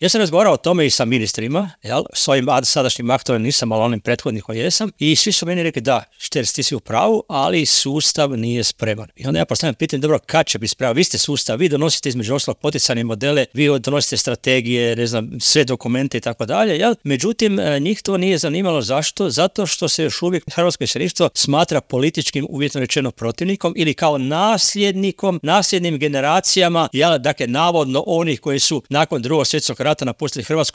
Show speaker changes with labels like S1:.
S1: Ja sam razgovarao o tome i sa ministrima, s ovim sadašnjim aktualnim nisam, ali onim prethodnikom jesam, i svi su meni rekli da, Šterc, ti si u pravu, ali sustav nije spreman. I onda ja postavljam pitanje, dobro, kad će biti spreman? Vi ste sustav, vi donosite između ostalog poticajne modele, vi donosite strategije, ne znam, sve dokumente i tako dalje, međutim, njih to nije zanimalo. Zašto? Zato što se još uvijek hrvatsko iseljeništvo smatra političkim, uvjetno rečeno, protivnikom ili kao nasljednim generacijama, dakle, navodno onih koji su nakon Drugog svjetskog rata napustili Hrvatsku